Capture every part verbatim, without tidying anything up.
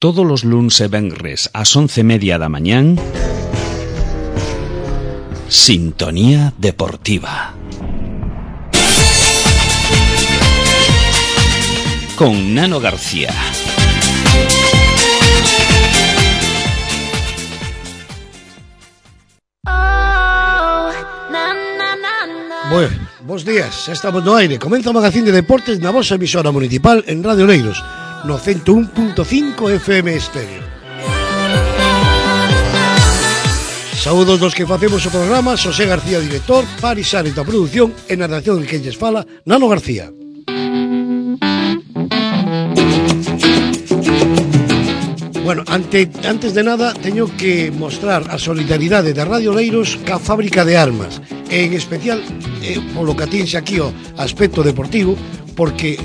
todos os luns e venres ás once e media da mañán, Sintonía Deportiva. Con Nano García. Bueno, bons días, xa estamos no aire. Comeza o magazín de deportes na vosa emisora municipal en Radio Oleiros, no ciento un punto cinco F M estéreo. Saúdos dos que facemos o programa, Xosé García, director, Paris Ares da produción, e na redacción de quen lles fala, Nano García. Bueno, ante, antes de nada, teño que mostrar a solidaridade da Radio Oleiros ca fábrica de armas, e en especial, eh, polo que atinxe aquí o aspecto deportivo, porque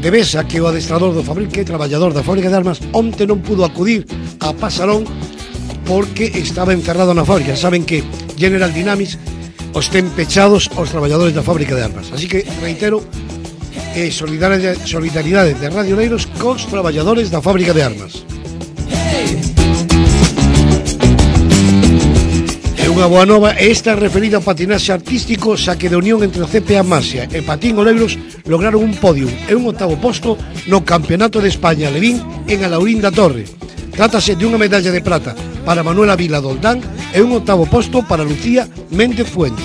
debesa que o adestrador do fábrica, que é traballador da fábrica de armas, onte non pudo acudir a Pasarón porque estaba encerrado na fábrica. Saben que General Dynamics os ten pechados os traballadores da fábrica de armas. Así que, reitero, eh, solidaridade, solidaridade de Radio Oleiros cos traballadores da fábrica de armas. E unha boa nova, esta referida ao patinaxe artístico, xa que de unión entre o C P A Masia e Patín Oleiros lograron un podium e un octavo posto no Campeonato de España Levín en Alaurín da Torre. Trátase de unha medalla de prata para Manuela Vila Doldán e un octavo posto para Lucía Méndez Fuentes.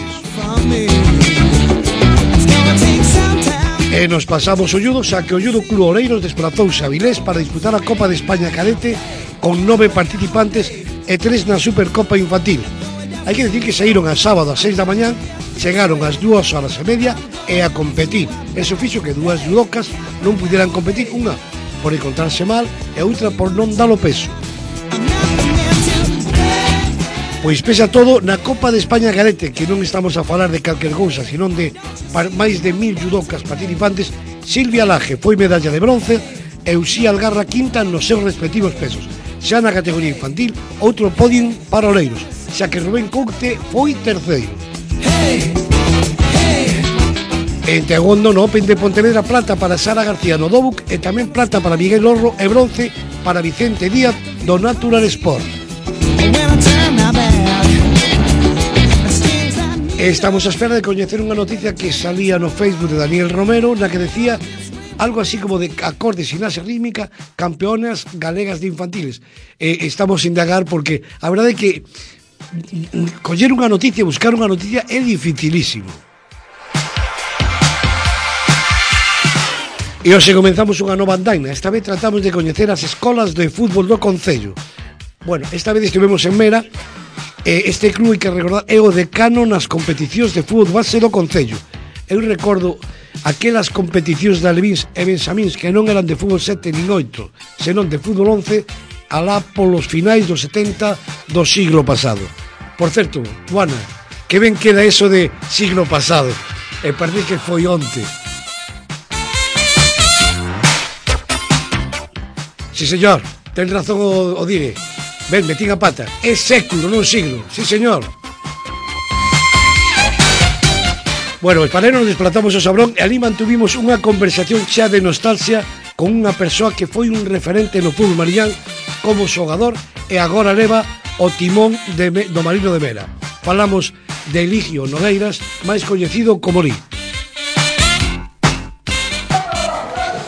E nos pasamos o judo, xa que o Judo Club Oleiros desplazouse a Vilés para disputar a Copa de España Cadete con nove participantes e tres na Supercopa Infantil. Hai que decir que saíron a sábado ás seis da mañán, chegaron ás dúas horas e media e a competir. Eso fixo que dúas judocas non pudieran competir, unha por encontrarse mal e outra por non dalo peso. Pois pese a todo, na Copa de España Cadete, que non estamos a falar de calquer cousa, senón de máis de mil judocas participantes, Silvia Laje foi medalla de bronce e Uxía Algarra quinta nos seus respectivos pesos. Xa na categoría infantil, outro podium para Oleiros, xa que Rubén Coute foi terceiro. En Tegondo, no Open de Pontevedra, plata para Sara García no Dobuc e tamén plata para Miguel Orro e bronce para Vicente Díaz do Natural Sport. Estamos á espera de coñecer unha noticia que salía no Facebook de Daniel Romero, na que decía algo así como de acorde gimnasia rítmica, campeonas galegas de infantiles. Eh, estamos a indagar porque a verdade é que coller unha noticia, buscar unha noticia é dificilísimo. E hoxe comenzamos unha nova andaina. Esta vez tratamos de coñecer as escolas de fútbol do Concello. Bueno, esta vez estivemos en Mera. Este club, hai que recordar, é o decano nas competicións de fútbol base do Concello. Eu recordo aquelas competicións de Alevíns e Benxamíns que non eran de fútbol sete nin oito, senón de fútbol once, alá polos finais dos setenta do siglo pasado. Por certo, Juana, que ben queda eso de siglo pasado, e parece que foi onte. Si, señor, ten razón o, o dire. Ben, metín a pata. É século, non siglo. Si, señor. Bueno, e para nos desplazamos ao Sabrón e ali mantuvimos unha conversación xa de nostalgia con unha persoa que foi un referente no fútbol mariñán como xogador e agora leva o timón de, do Marino de Mera. Falamos de Eligio Nogueiras, máis coñecido como Li.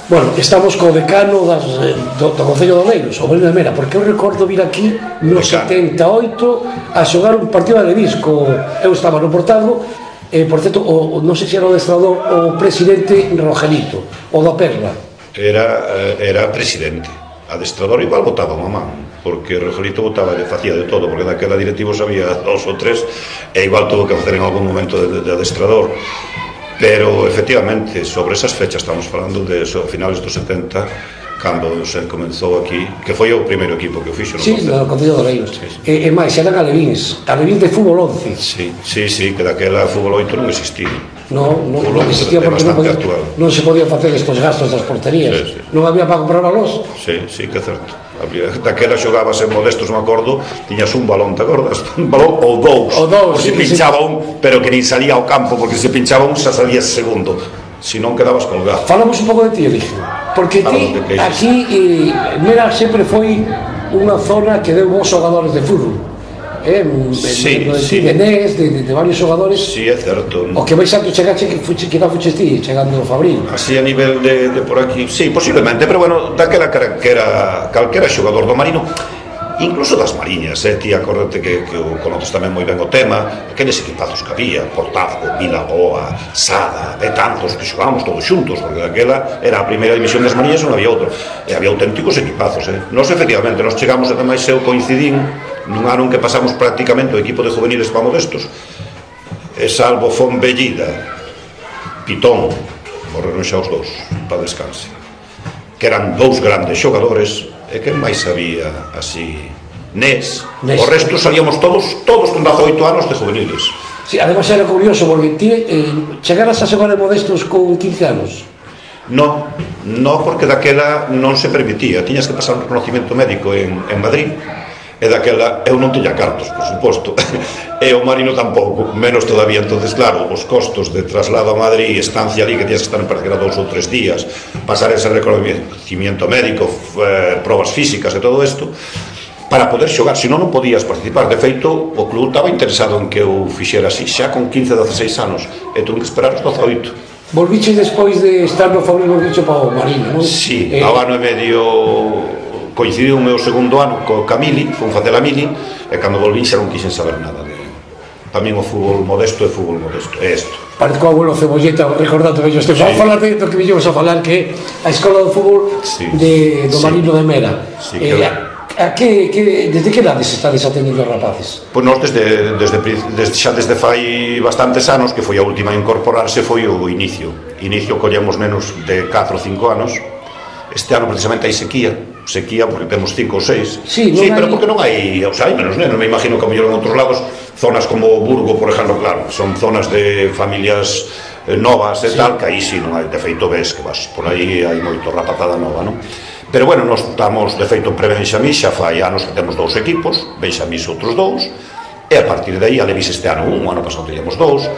Bueno, estamos co decano das, do, do Concello de Oleiros, o Marino de Mera, porque eu recordo vir aquí no setenta e oito a xogar un partido de Levis, co, eu estaba no portado, e, por certo, o, non sei se era o adestrador o presidente Rogelito, o da Perla. Era, era presidente, adestrador igual votaba mamá, porque Rogelito votaba, le facía de todo, porque daquela directivos había dos ou tres, e igual tuvo que facer en algún momento de, de adestrador. Pero, efectivamente, sobre esas fechas estamos falando de so, finales dos setenta, cando se comenzou aquí, que foi o primeiro equipo que o fixo no sí, Concello. Sí, no Concello de Oleiros. Sí, sí. E, e máis, eran alevíns, alevíns de fútbol once. Sí, sí, sí, que daquela fútbol oito non existía. No, non, non existía porque non, podía, non se podía facer estos gastos das porterías. Sí, sí. Non había para comprar balóns. Sí, sí, que é certo. Había, daquela xogabas en modestos, me acordo, tiñas un balón, te acordas? Un balón ou dous, ou dous, se sí, pinchaba sí. un, pero que nin salía ao campo, porque se pinchaba un xa salía segundo, se non quedabas colgado. Falamos un pouco de ti, Eligio. Porque ti, aquí, Mera sempre foi unha zona que deu bons xogadores de fútbol. Eh, sí, de, de, sí. de Nes, de, de, de varios xogadores. Sí, é certo. O que vais alto chegache que fuche, que non fuches ti, chegando ao Fabril. Así a nivel de, de por aquí, sí, posiblemente, pero bueno, daquela que era calquera xogador do Marino, incluso das Mariñas, eh, ti acórdate que, que conoces tamén moi ben o tema, aqueles equipazos que había, Portazgo, Vilaboa, Sada, de tantos que xogábamos todos xuntos, porque daquela era a primeira división das Mariñas, non había outro, e había auténticos equipazos, eh. Nos, efectivamente, nos chegamos, ademais, eu coincidín nun ano en que pasamos prácticamente o equipo de juveniles para modestos, e salvo Fonbellida, Pitón, morreron xa os dous, para descanse, que eran dous grandes xogadores, e que máis había así, Nes, Nes. O resto salíamos todos, todos con dezaoito anos de juveniles. Sí, además era curioso, porque ti eh, chegaras a xogar en modestos con quince anos. No, no, porque daquela non se permitía, tiñas que pasar un reconocimiento médico en, en Madrid, e daquela eu non tiña cartos, por suposto, e o Marino tampouco, menos todavía. Entonces, claro, os costos de traslado a Madrid, estancia ali, que tías que estar en parquera dous ou tres días, pasar ese reconocimiento médico, eh, probas físicas e todo isto, para poder xogar, senón non podías participar. De feito, o club estaba interesado en que eu fixera así, xa con quince, dezaseis anos, e tuve que esperar os dezaoito. Volviche despois de estar no Fabril, volviche para o Marino, non? Sí, eh... ao ano e medio coincidiu o meu segundo ano co Camili, con Facela Mili, e cando volvín xa non quixen saber nada de... Para mí o fútbol modesto é fútbol modesto, é isto. Parece que o abuelo Cebolleta, recordando que este, sí. Vamos falar de do que villemos a falar, que a escola do fútbol sí. de, do sí. Marino de Mera. Sí, eh, a, a que, que, desde que edades estades atendindo os rapaces? Pois nós desde, desde, desde, xa desde fai bastantes anos, que foi a última a incorporarse, foi o inicio. Inicio collemos nenos de catro ou cinco anos. Este ano precisamente hai sequía, sequía porque temos cinco ou seis. Sí, sí hai... pero porque non hai, o sea, hai menos nenos, me imagino que a mellor en outros lados, zonas como Burgo, por exemplo, claro, son zonas de familias eh, novas e sí. Tal, que aí sí non hai, de feito ves que vas, por aí hai moito rapazada nova, non? Pero bueno, nos estamos, de feito, pre-Benxamís, xa fai anos que temos dous equipos, Benxamís outros dous, e a partir de aí, a Levis este ano un, o ano pasado teníamos dous,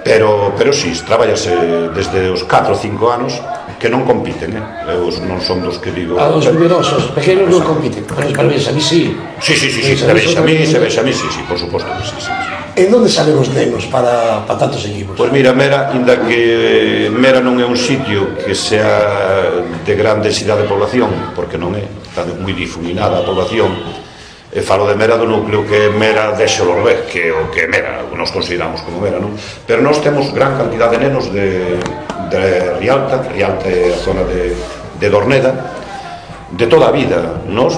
pero, pero sí, traballase desde os catro ou cinco anos, que non compiten, eh? Eu non son dos que digo... A dos numerosos, pequenos non compiten, pero para Benxamís sí. Sí, sí, sí, sí, de Benxamís, de Benxamís, sí, sí, por suposto que sí, sí. En onde salen os nenos para, para tantos equipos? Pois mira, Mera, inda que Mera non é un sitio que sea de gran densidade de población, porque non é, está moi difuminada a población, e falo de Mera do núcleo que é Mera de Xolorbé, que é o que Mera, nos consideramos como Mera, non? Pero nós temos gran cantidad de nenos de, de Rialta, Rialta é a zona de, de Dorneda, de toda a vida. Nós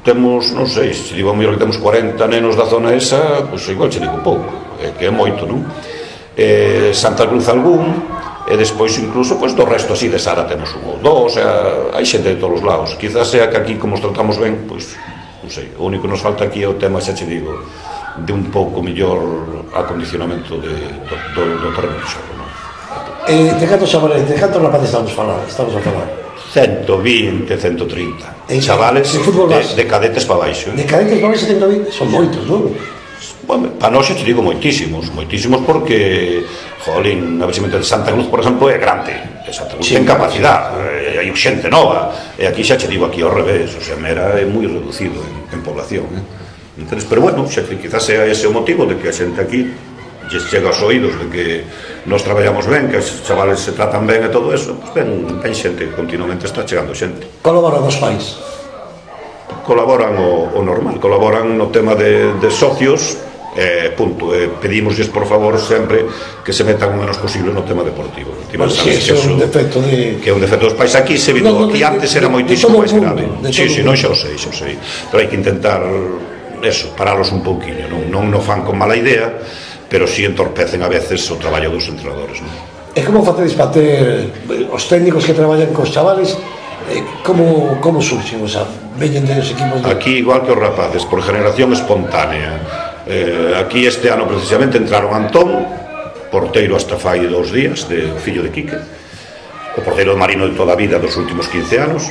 temos, non sei, se digo a mellor que temos cuarenta nenos da zona esa, pois igual che digo pouco, é que é moito, non? Eh, Santa Cruz algún, e despois incluso pois do resto así de Sara temos un ou dous, hai xente de todos os lados. Quizás sea que aquí como os tratamos ben, pois non sei, o único que nos falta aquí é o tema, xa che digo, de un pouco mellor acondicionamento de, do, do, do terreno de xogo, non? Eh, de cantos chavales, de cantos rapaces estamos a falar, estamos a falar? ciento vinte, ciento trinta chavales de, de cadetes para baixo, eh? De cadetes para baixo ciento vinte, son moitos, non? Bueno, para nós te digo moitísimos, moitísimos porque, jolín, a ver se me entende, Santa Cruz, por exemplo, é grande, Santa Cruz sí, ten capacidade, sí. Hai xente nova, e aquí xa te digo aquí ao revés, o sea, Mera é moi reducido en, en población, eh? Entonces, pero bueno, xa que quizás sea ese o motivo de que a xente aquí lle chega aos oídos de que nos traballamos ben, que os chavales se tratan ben e todo eso, pues ben, ben xente, continuamente está chegando xente. Colaboran os pais? Colaboran o, o normal, colaboran no tema de, de socios, eh, punto, eh, pedimosles por favor sempre que se metan o menos posible no tema deportivo. Bueno, sí, que é un defecto de... que é un defecto dos pais aquí, se vido, no, no, aquí antes era moitísimo máis grave. Sí, sí, non xa o sei, xa o sei, pero hai que intentar eso, paralos un pouquiño, non, non no fan con mala idea, pero si sí entorpecen a veces o traballo dos entrenadores, non? E como facedes para ter os técnicos que traballan cos chavales, eh, como, como surxen, o sea, veñen dos equipos de... Aquí igual que os rapaces, por generación espontánea, eh, aquí este ano precisamente entraron Antón, porteiro hasta fai dous días, de fillo de Quique, o porteiro do Marino de toda a vida dos últimos quince anos,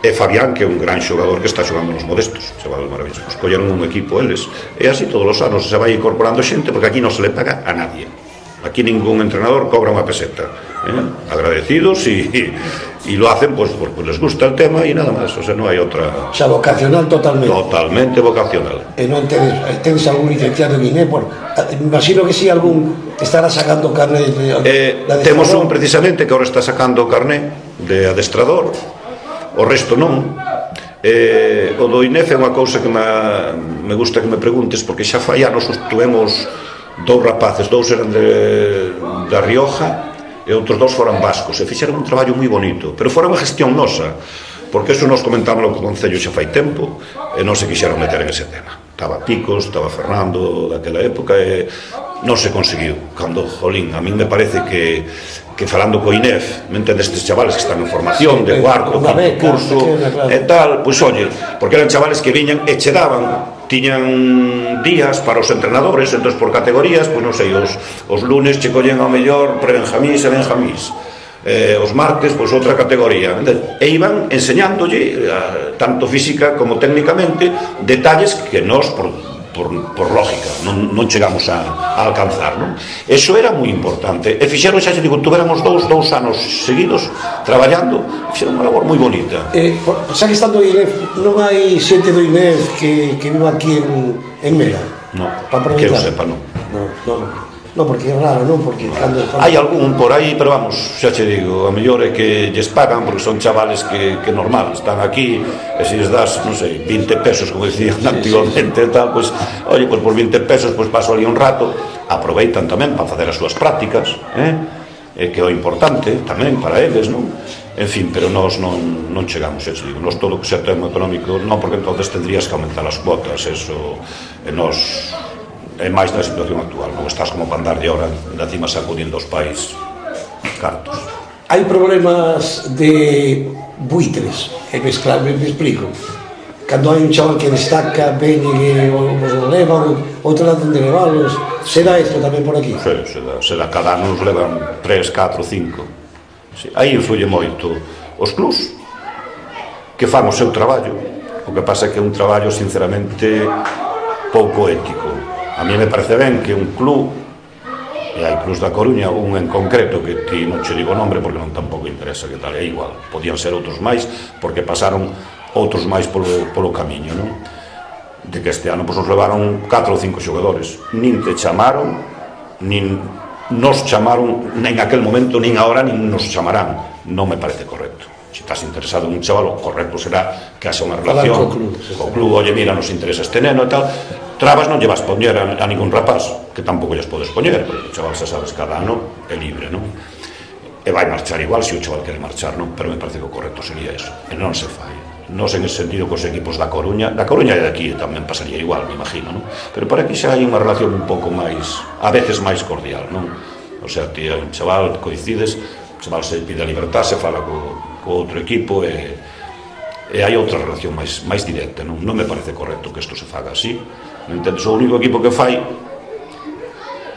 e Fabián, que é un gran xogador que está xogando nos modestos, chavales maravillosos, colleron un equipo eles, e así todos os anos se vai incorporando xente, porque aquí non se le paga a nadie, aquí ningún entrenador cobra unha peseta, o ¿eh? Agradecidos y, y, y lo hacen pues porque les gusta el tema y nada más, o sea, no hay otra. O sea, vocacional totalmente. Totalmente vocacional. E non tedes, tedes algún licenciado en I N E, bueno, me imagino que si sí, algún estará sacando carné de, eh, de temos un precisamente que ahora está sacando carné de adestrador, o resto non. Eh, o do I N E F é unha cousa que me, me gusta que me preguntes, porque xa fai anos tuvemos dous rapaces, dous eran de, da Rioja e outros dous foran vascos, e fixeron un traballo moi bonito, pero fora unha gestión nosa, porque eso nos comentámoslo co Concello xa fai tempo e non se quixeron meter en ese tema. Estaba Picos, estaba Fernando daquela época e non se conseguiu. Cando, jolín, a mí me parece que que falando co I N E F, me entendes, estes chavales que están en formación de cuarto, quinto curso e tal, pois oye, porque eran chavales que viñan e che daban, tiñan días para os entrenadores, entón por categorías, pois non sei, os, os lunes che collen ao mellor pre-benjamís e benjamís, eh, os martes, pois outra categoría, e iban enseñándolle, tanto física como técnicamente, detalles que nós, por, por, por lógica, non, non chegamos a, a alcanzar, non? Eso era moi importante, e fixeron, xa xe digo, tuveramos dous, dous anos seguidos traballando, fixeron unha labor moi bonita. Eh, xa que estando I N E F, non hai xente do I N E F que, que viva aquí en, en Mera? Non, que eu sepa, non. Non, non, non, porque é raro, non? Porque cando... Hai algún por aí, pero vamos, xa che digo, a mellor é que lles pagan, porque son chavales que, que normal, están aquí, e se lles das, non sei, vinte pesos, como decían sí, antigamente, sí, sí. Tal, pues, oye, pues por vinte pesos, pues paso ali un rato, aproveitan tamén para facer as súas prácticas, eh? E que é o importante tamén para eles, non? En fin, pero nós non, non chegamos, eso digo, nós todo o que sea tema económico, non, porque entonces tendrías que aumentar as cuotas, eso, e nós... é máis na situación actual, non estás como para andar de hora de encima sacudindo os pais cartos. Hai problemas de buitres, e me, me, me explico. Cando hai un chaval que destaca, ven e os levan, outro lado de levalos, se dá isto tamén por aquí? Sí, se dá, se dá, cada ano nos levan tres, catro, cinco. Sí, aí influye moito os clubs que fan o seu traballo, o que pasa é que é un traballo sinceramente pouco ético. A mí me parece ben que un club, e hai clubs da Coruña, un en concreto que ti non che digo o nombre porque non tampouco interesa que tal, é igual, podían ser outros máis porque pasaron outros máis polo, polo camiño, non? De que este ano pues, nos levaron catro ou cinco xogadores, nin te chamaron, nin nos chamaron, nin aquel momento, nin agora, nin nos chamarán. Non me parece correcto. Se estás interesado en un chaval, o correcto será que haxa unha relación co club, co club, oye, mira, nos interesa este neno e tal. Trabas non lle vas poñer a, a ningún rapaz, que tampouco lles podes poñer, porque o chaval, xa sabes, cada ano é libre, non? E vai marchar igual se o chaval quere marchar, non? Pero me parece que o correcto sería eso, e non se fai. Nos en ese sentido cos equipos da Coruña, da Coruña e de aquí tamén pasaría igual, me imagino, non? Pero por aquí xa hai unha relación un pouco máis, a veces máis cordial, non? O sea, ti un chaval, coincides, o chaval se pide a libertad, se fala co, co outro equipo e, e hai outra relación máis, máis directa, non? Non me parece correcto que isto se faga así. Non entendo, o único equipo que fai,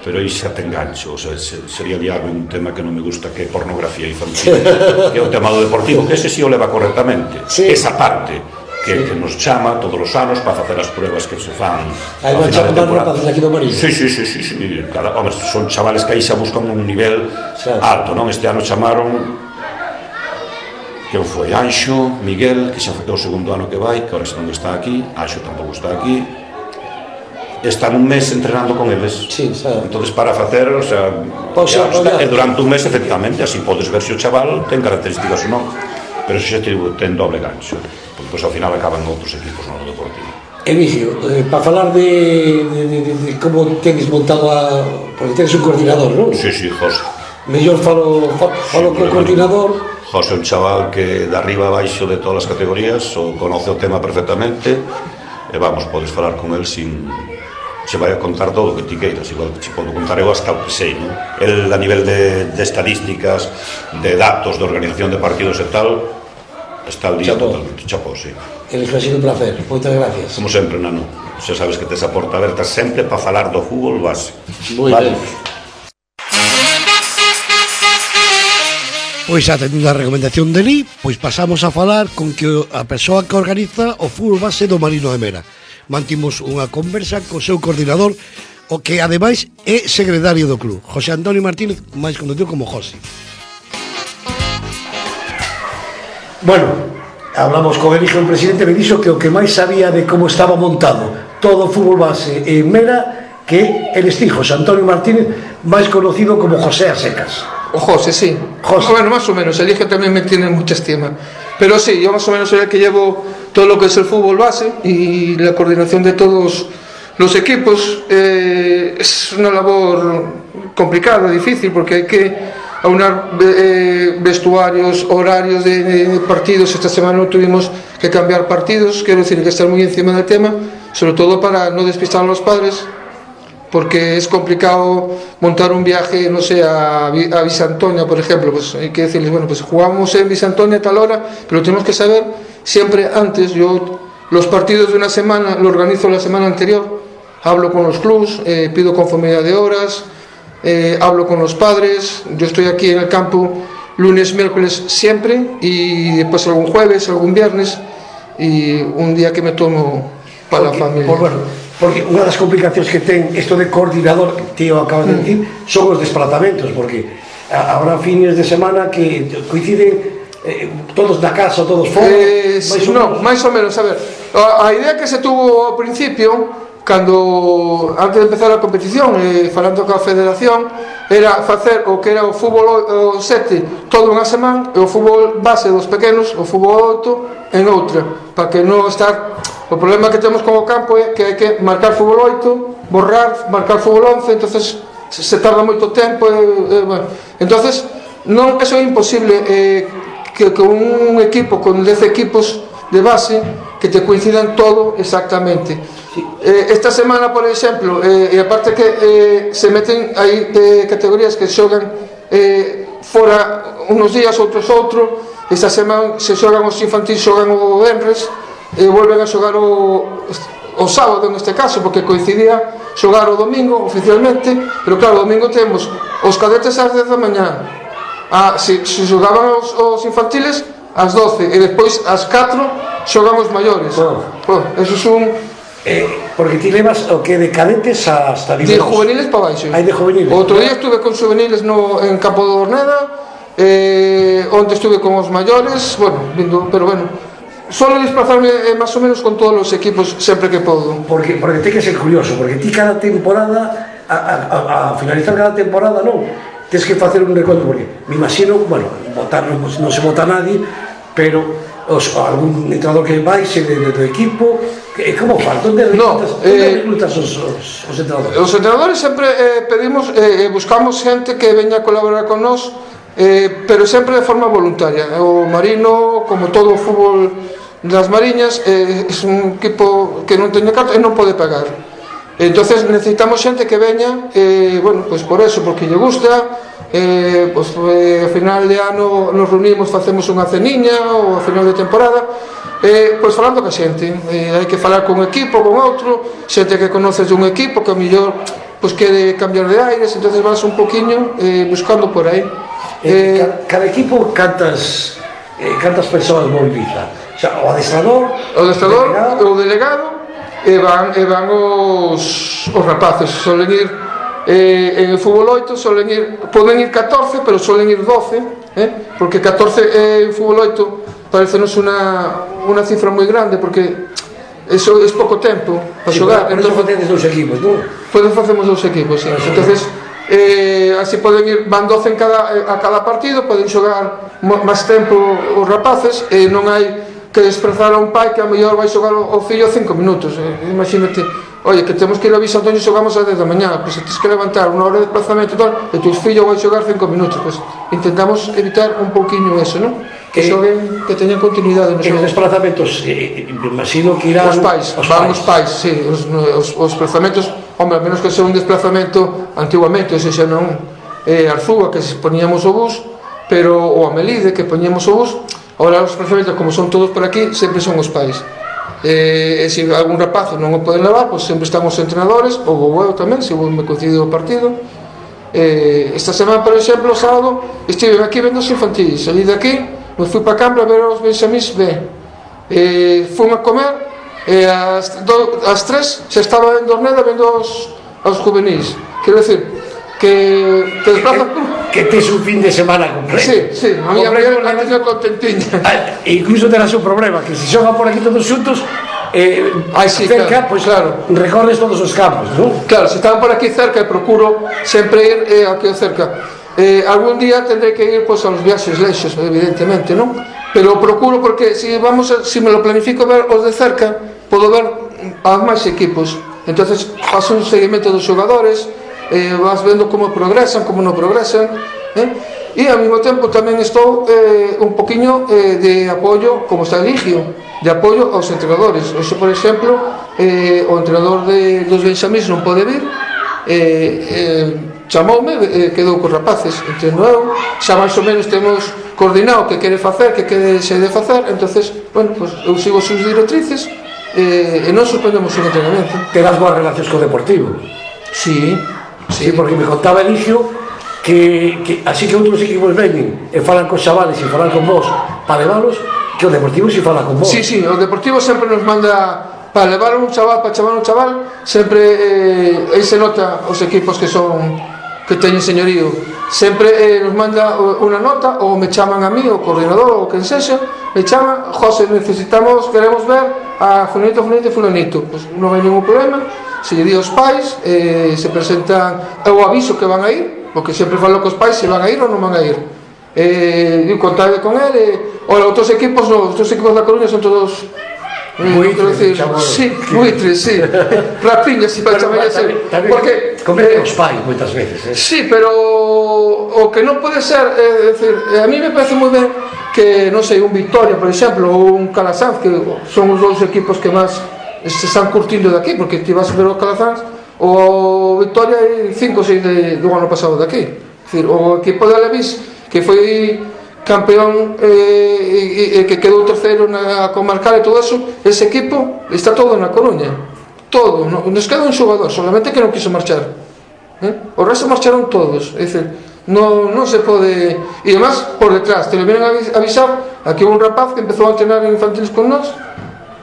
pero aí xa te engancho, o sea, sería liarme un tema que non me gusta, que é pornografía infantil, que é o tema do deportivo, que ese sí o leva correctamente, sí. Esa parte que, sí. Que nos chama todos os anos para facer as pruebas que se fan hai unha chama de rapazes aquí do Mariño. Sí, sí, sí, sí, sí. Cada, hombre, son chavales que aí xa buscan un nivel sí. Alto, non? Este ano chamaron que foi Anxo, Miguel, que xa foi o segundo ano que vai, que ahora non está aquí, Anxo tampouco está aquí. Están un mes entrenando con eles. Sí, sabe. Entonces para facer, o sea, xa, está, e durante un mes efectivamente, así podes ver se o chaval ten características ou non. Pero se xa te digo, ten doble gancho, porque pois, ao final acaban outros equipos no deportivo. Emilio, eh, para falar de, de, de, de como tenes montado a... porque tenes un coordinador, non? Sí, sí, José. Mellor falo, falo sí, co coordinador. José é un chaval que de arriba a baixo de todas as categorías o conoce o tema perfectamente e vamos, podes falar con el sin... se vai a contar todo o que ti queiras, igual que te podo contar eu hasta o que sei, non? El a nivel de, de estadísticas, de datos, de organización de partidos e tal, está al día Chapó. Totalmente, chapó, sí. El ha sido un placer, moitas gracias. Como sempre, Nano, xa sabes que tes a porta aberta sempre para falar do fútbol base. Moi vale. Ben. Pois atendendo a recomendación de Li, pois pasamos a falar con que a persoa que organiza o fútbol base do Marino de Mera. Mantimos unha conversa co seu coordinador, o que ademais é secretario do club, José Antonio Martínez, máis conocido como José. Bueno, hablamos con Eligio, el presidente, me dixo que o que máis sabía de como estaba montado todo o fútbol base en Mera que el estijo, Antonio Martínez, máis conocido como José Asecas. O José, sí. José. Bueno, más o menos, Eligio también me tiene mucha estima. Pero sí, yo más o menos soy el que llevo todo lo que es el fútbol base y la coordinación de todos los equipos. Eh, es una labor complicada, difícil, porque hay que aunar eh, vestuarios, horarios de, de partidos. Esta semana no tuvimos que cambiar partidos, quiero decir que estar muy encima del tema, sobre todo para no despistar a los padres, porque es complicado montar un viaje, no sé, a, a Visantoña, por ejemplo. Pues hay que decirles, bueno, pues jugamos en Visantoña a tal hora, pero tenemos que saber siempre antes. Yo los partidos de una semana lo organizo la semana anterior, hablo con los clubs, eh, pido conformidad de horas, eh, hablo con los padres. Yo estoy aquí en el campo lunes, miércoles siempre, y después algún jueves, algún viernes, y un día que me tomo para porque, la familia. Por, bueno, porque unha das complicacións que ten isto de coordinador, que tío acabas de decir, mm. son os desplazamentos, porque habrá fines de semana que coinciden eh, todos na casa, todos fora. Eh, máis no, máis ou menos, a ver, a, a idea que se tuvo ao principio, cando antes de empezar a competición, eh, falando coa federación, era facer o que era o fútbol sete todo unha semana e o fútbol base dos pequenos, o fútbol oito, en outra, para que non estar. O problema que temos con o campo é que hai que marcar fútbol oito, borrar, marcar fútbol once, entonces se tarda moito tempo, e, e, bueno. Entonces non, eso é imposible, eh, que con un equipo, con dez equipos de base, que te coincidan todo exactamente. Sí. Eh, esta semana, por exemplo, eh, e aparte que eh, se meten aí eh, categorías que xogan eh, fora unos días, outros outro. Esta semana se xogan os infantis, xogan o venres, e volven a xogar o, o sábado neste caso, porque coincidía xogar o domingo oficialmente, pero claro, o domingo temos os cadetes ás dez da mañá, a, se, se xogaban os, os infantiles ás doce, e despois ás catro xogan os maiores. Oh. Oh, eso é un... Eh, porque ti levas o que de cadetes hasta de juveniles para baixo. Hai de juveniles. Outro día estuve con juveniles no, en Campo de Orneda, eh, onde estuve con os maiores, bueno, vindo, pero bueno, solo desplazarme eh, máis ou menos con todos os equipos sempre que podo. Porque, porque ten que ser curioso, porque ti cada temporada, a, a, a finalizar cada temporada, non, tens que facer un recuento, porque me imagino, bueno, votar non, non se vota nadie, pero os, algún entrenador que vai ser de, de, do equipo, que, como faz? Onde reclutas, no, eh, reclutas os, os, os entrenadores? Os entrenadores sempre eh, pedimos, eh, buscamos xente que veña a colaborar con nós, eh, pero sempre de forma voluntaria. O Marino, como todo o fútbol das Mariñas, eh, é un equipo que non teña carta e non pode pagar. Entonces necesitamos xente que veña, eh, bueno, pues por eso, porque lle gusta. Eh, pues, eh, a final de ano nos reunimos, facemos unha ceniña, ou a final de temporada, eh, pois falando ca xente, eh, hai que falar con un equipo, con outro, xente que conoces dun equipo que a mellor pois quere cambiar de aires, entonces vas un poquinho eh, buscando por aí. Eh, eh, cada, cada equipo cantas eh, cantas persoas moviliza? O sea, o adestrador, o adestrador, o delegado, e van, e van os, os rapaces, solen ir. Eh, en el fútbol oito solen ir, poden ir catorce, pero solen ir doce, eh? Porque catorce eh, en fútbol oito parecenos unha, unha cifra moi grande, porque eso é pouco tempo para sí, xogar. Por, por entonces facedes dous equipos, non? Podes facemos dous equipos, sí. Entonces eh, así poden ir, van doce en cada, a cada partido, poden xogar máis tempo os rapaces, e non hai que desprezar a un pai que a mellor vai xogar o, o fillo cinco minutos. Eh, imagínate, oye, que temos que ir a Visantoña e xogamos a dez da mañá, pois pues, tens que levantar unha hora de desplazamento e tal, e tu fillo vai xogar cinco minutos, pois pues, intentamos evitar un pouquiño eso, non? Que eh, xoguen, que teñan continuidade no xogo. En os desplazamentos, eh, imagino que irán os pais, os van os pais, sí, os, os, os desplazamentos, hombre, a menos que sea un desplazamento antiguamente, ese xa non eh, Arzúa, que poñíamos o bus, pero o a Melide, que poñíamos o bus. Ahora os desplazamentos, como son todos por aquí, sempre son os pais. Eh, e se algún rapazo non o poden levar, pois sempre están os entrenadores, ou o eu tamén, se me coincide o partido. Eh, esta semana, por exemplo, o sábado, estive aquí vendo os infantis, salí de aquí, me fui para Cambra a ver os benxamís B. Eh, fui a comer, e ás, do, ás tres xa estaba en Dorneda vendo os, os juvenis. Quero decir, que te desplazas tú. que tes un fin de semana completo. Sí, sí, a miña muller antes non contentiña. Ah, incluso terás un problema, que se xogan por aquí todos xuntos, eh, Ai, sí, cerca, claro, pois claro. recorres todos os campos, non? Claro, se están por aquí cerca, procuro sempre ir eh, aquí cerca. Eh, algún día tendré que ir pues, a los viaxes lexos, evidentemente, non? Pero procuro porque si vamos a, si me lo planifico ver os de cerca, podo ver a máis equipos. Entonces faço un seguimento dos xogadores, eh, vas vendo como progresan, como non progresan, eh? E ao mesmo tempo tamén estou eh, un poquinho eh, de apoio, como está Eligio, de apoio aos entrenadores. Hoxe, por exemplo, eh, o entrenador de, dos Benxamís non pode vir, eh, eh, chamoume, eh, quedou cos rapaces, entendo eu, xa máis ou menos temos coordinado que quere facer, que quere se de facer, entonces, bueno, pues, eu sigo sus directrices eh, e non suspendemos un entrenamento. Terás boas relacións co Deportivo. Sí, Sí, porque me contaba Eligio que, que así que outros equipos veñen e falan cos chavales e falan con vos para levalos, que o Deportivo si fala con vos. Sí, sí, o Deportivo sempre nos manda para levar un chaval, para chamar un chaval, sempre eh, aí se nota os equipos que son que teñen señorío, sempre eh, nos manda unha nota, ou me chaman a mí, o coordinador, ou quen sexa, me chaman, José, necesitamos, queremos ver a fulanito, fulanito, fulanito, pues non hai ningún problema, se lle di aos pais, eh, se presentan, eu aviso que van a ir, porque sempre falo cos pais se van a ir ou non van a ir, eh, digo, contade con él, eh, ora, outros equipos, no, outros equipos da Coruña son todos buitres, decir, sí, buitres, sí, rapiñas, si para chamar así, porque cometen os pais moitas veces, eh? Sí, pero o que non pode ser, é dicir, a mí me parece moi ben que, non sei, un Victoria, por exemplo, ou un Calasanz, que son os dous equipos que máis se están curtindo de aquí, porque ti vas a ver o Calasanz, o Victoria hai cinco ou seis de, do ano pasado de aquí, é dicir, o equipo de Alevis que foi campeón eh, e, e que quedou terceiro na comarcal e todo eso, ese equipo está todo na Coruña, todo, no, nos queda un xogador solamente que non quiso marchar, eh? O resto marcharon todos, é dicir, non, non se pode, e además por detrás te lo vienen a avisar, aquí un rapaz que empezou a entrenar en infantiles con nós,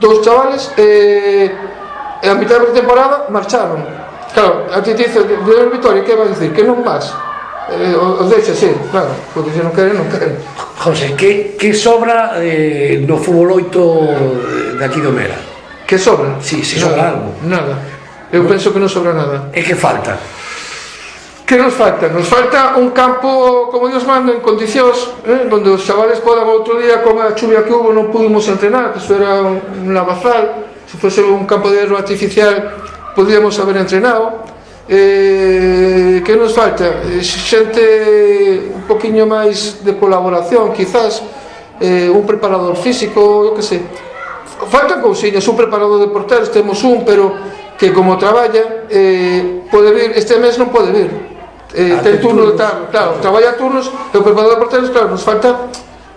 dous chavales, e eh, a mitad da temporada marcharon. Claro, a ti te dice, de Vitoria, que vai dicir? Que non vas? Eh, os deixa, sí, claro, porque se non queren, non queren. José, que, que sobra eh, no fútbol oito de aquí do Mera? Que sobra? Sí, se sobra algo. Nada, eu penso que non sobra nada. E que falta? Que nos falta? Nos falta un campo, como Dios manda, en condicións, eh, donde os chavales podan outro día, con a chuvia que hubo, non pudimos entrenar, que isto era un lavazal, se fose un campo de hierro artificial, podíamos haber entrenado. Eh, que nos falta? Eh, xente un poquinho máis de colaboración, quizás, eh, un preparador físico, eu que sei. Faltan cousiñas, un preparador de porteros, temos un, pero que como traballa, eh, pode vir, este mes non pode vir. Eh, ah, ten turno de tarde, claro, traballa turnos, e o preparador de porteros, claro, nos falta,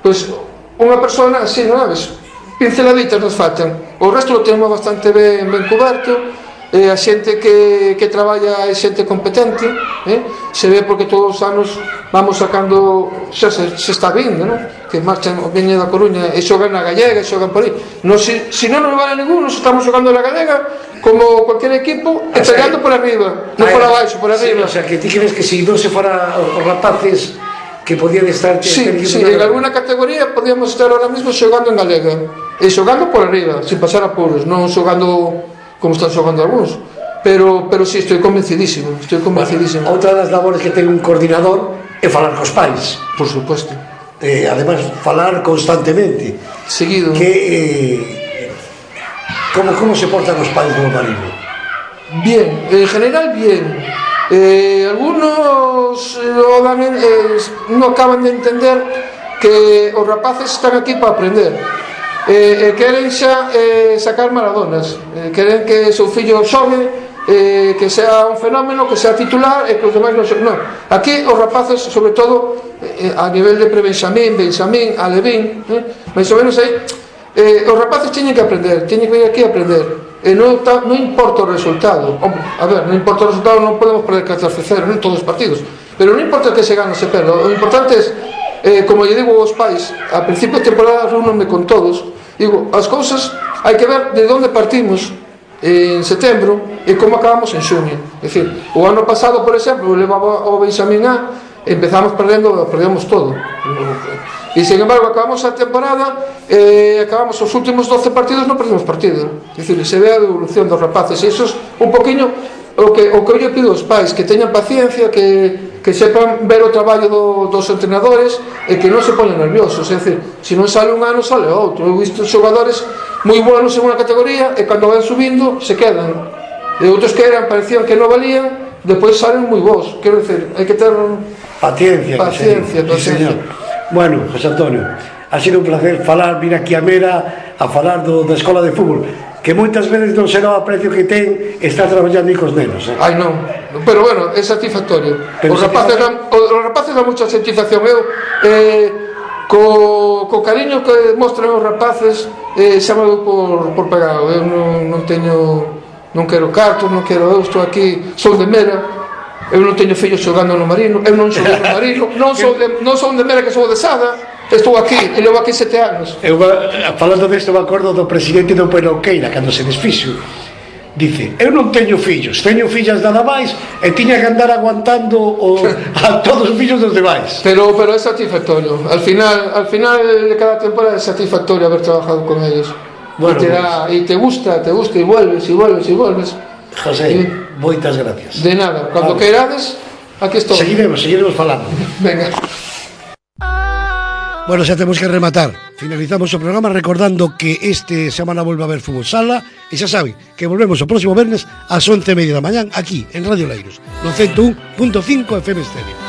pois, unha persona así, non sabes? Pinceladitas nos faltan. O resto lo tenemos bastante ben, ben coberto. Eh, a xente que, que traballa é xente competente, eh? Se ve porque todos os anos vamos sacando, xa se, se está vindo, non? Que marchan, veñen da Coruña e xogan na Gallega, e xogan por aí. No, si, si non nos vale ningún, nos estamos xogando na Gallega como cualquier equipo, e pegando por arriba, non por abaixo, por arriba. Sí, o sea, que ti crees que si non se fora os rapaces que podían estar... Sí, sí, en alguna categoría podíamos estar ahora mismo xogando en Galega, e xogando por arriba, sin pasar apuros, non xogando como están xogando algúns, pero pero si sí, estou convencidísimo, estou convencidísimo. Bueno, outra das labores que ten un coordinador é falar cos pais, por supuesto. Eh, además falar constantemente. Seguido. Que eh, como como se portan os pais do marido? Bien, en general bien. Eh, algunos eh, eh, non acaban de entender que os rapaces están aquí para aprender. Eh, eh, queren xa eh, sacar maradonas, eh, queren que o seu fillo xogue, eh, que sea un fenómeno, que sea titular e que os demais non xogue. Non, aquí os rapaces, sobre todo eh, a nivel de pre-Benxamín, Benxamín, Alevín, eh, máis ou menos aí, eh, os rapaces teñen que aprender, teñen que vir aquí a aprender, e non, ta, non importa o resultado. Hombre, a ver, non importa o resultado, non podemos perder catorce cero en todos os partidos, pero non importa que se gane ou se perda, o importante é, eh, como lle digo aos pais, a principio de temporada reúnome con todos, digo, as cousas hai que ver de onde partimos en setembro e como acabamos en xuño. É dicir, o ano pasado, por exemplo, levaba o Benxamín A empezamos perdendo, perdemos todo. E sin embargo acabamos a temporada, eh, acabamos os últimos doce partidos, non perdemos partido. É dicir, se ve a evolución dos rapaces, e iso é un poquinho o que, o que eu pido aos pais, que teñan paciencia, que, que sepan ver o traballo do, dos entrenadores e que non se poñan nerviosos. É dicir, se non sale un ano, sale outro. Eu he visto xogadores moi buenos en unha categoría e cando van subindo se quedan, e outros que eran, parecían que non valían, depois salen moi bons. Quero dicir, hai que ter paciencia, paciencia, sí, paciencia. Bueno, José Antonio, ha sido un placer falar, vir aquí a Mera a falar do, da escola de fútbol, que moitas veces non será o aprecio que ten estar traballando cos nenos, eh? Ai non, pero bueno, é satisfactorio. Pero os rapaces dan, os rapaces dan mucha satisfacción. Eu eh, co, co cariño que mostran os rapaces, eh, xa me dou por, por pegado. Eu non, non teño, non quero cartos, non quero, eu estou aquí, sou de Mera. Eu non teño fillos xogando no Marino, eu non sou no Marino, non sou de, non sou de Mera, que sou de Sada. Estou aquí, e levo aquí sete anos. Eu, falando desto, me acordo do presidente do Peroqueira, cando se desfixo, dice, eu non teño fillos, teño fillas nada máis, e tiña que andar aguantando o, a todos os fillos dos demais. Pero, pero é satisfactorio. Al final, al final de cada temporada é satisfactorio haber trabajado con ellos. Bueno, e, te da, pues, e te gusta, te gusta, e vuelves, e vuelves, e vuelves. José, y, moitas gracias. De nada, cando vale. Queirades, aquí estou. Seguiremos, seguiremos falando. Venga. Bueno, xa temos que rematar. Finalizamos o programa recordando que este semana volve a haber fútbol sala, e xa saben que volvemos o próximo vernes ás once e media da mañán aquí en Radio Leiros, no ciento un punto cinco F M Estéreo.